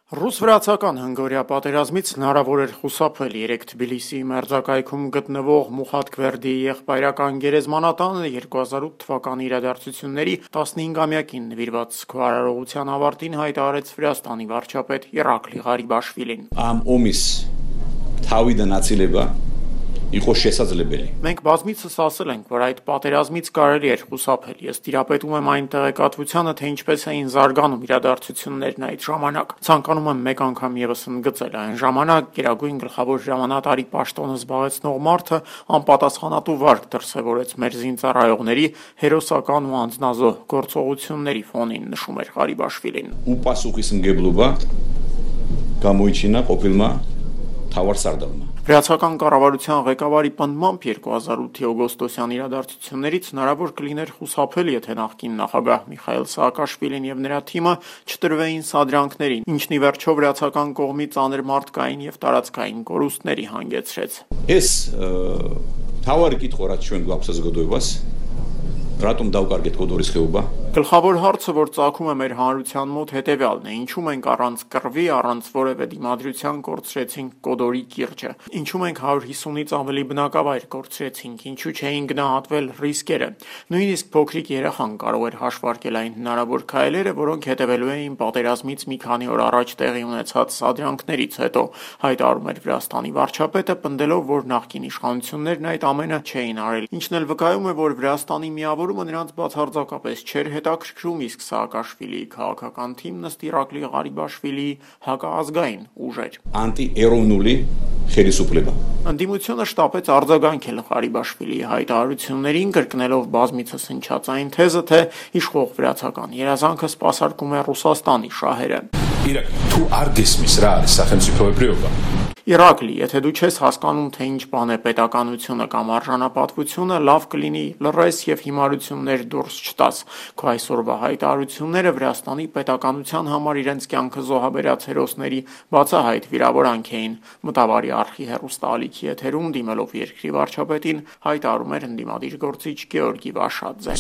Ռուս-վրացական հնգօրյա պատերազմից հնարավոր էր խուսափել։ Երեկ Թբիլիսիի մերձակայքում գտնվող Մուխաթ-Գվերդիի եղբայրական գերեզմանատանը 2008 թվականի իրադարձությունների 15-ամյակին նվիրված քարարողության ավարտին հայտարարեց Վրաստանի վարչապետ Իրակլի Ղարիբաշվիլին։ Մենք բազմիցս ասել ենք, որ այդ պատերազմից կարելի էր խուսափել։ Ես տիրապետում եմ այն տեղեկատվությանը, թե ինչպես էին զարգանում իրադարձություններն այդ ժամանակ։ Ցանկանում եմ մեկ անգամ ևս ընդգծել, այն ժամանակ գերագույն գլխավոր հրամանատարի պաշտոնը զբաղեցնող մարդը անպատասխանատու վարք դրսևորեց մեր զինծառայողների հերոսական ու անձնազոհ գործողությունների ֆոնին, նշում էր Ղարիբաշվիլին։ Վրացական կառավարության ղեկավարի պնդմամբ 2008-ի օգոստոսյան իրադարձություններից հնարավոր կլիներ խուսափել, եթե նախկին նախագահ Միխայիլ Սաակաշվիլին եւ նրա թիմը չտրվեին սադրանքներին, ինչն ի վերջո վրացական կողմի ծանր մարդկային եւ տարածքային կորուստների հանգեցրեց։ Գլխավոր հարցը, որ ծագում է մեր հանրության մոտ, հետեւյալն է. ինչու մենք առանց կռվի, առանց որևէ դիմադրության կորցրեցինք Կոդորի կիրճը, ինչու մենք 150-ից ավելի բնակավայր կորցրեցինք, ինչու չէին գնահատվել ռիսկերը։ Նույնիսկ փոքրիկ երեխան կարող էր հաշվարկել այն հնարավոր քայլերը, որոնք հետևելու էին պատերազմից մի քանի օր առաջ տեղի ունեցած սադրանքներից հետո, հայտարարում էր Վրաստանի վարչապետը, պնդելով, որ նախկին իշխանություններն այդ ամենը չէին արել, ինչն էլ վկայում է, որ Վրաստանի միավորումը նրանց բացարձակապես չէր հետաքրքրում, իսկ Սաակաշվիլիի քաղաքական թիմն ըստ Իրակլի Ղարիբաշվիլիի հակազգային ուժ էր։ Ընդդիմությունը շտապեց արձագանքել Ղարիբաշվիլիի հայտարարություններին, կրկնելով բազմիցս հնչած այն թեզը, թե իշխող վրացական երազանքը սպասարկում է Ռուսաստանի շահերը։ Իրակլի, եթե դու չես հասկանում, թե ինչ բան է պետականությունը կամ արժանապատվությունը, լավ կլինի լռես եւ հիմարություններ դուրս չտաս։ Քո այսօրվա հայտարարությունները Վրաստանի պետականության համար իրենց կյանքը զոհաբերած հերոսների բացահայտ վիրավորանք էին, մտավարի արխի հեռուստաալիքի եթերում դիմելով երկրի վարչապետին հայտարարում էր ընդդիմադիր գործիչ Գեորգի Վաշադզեն։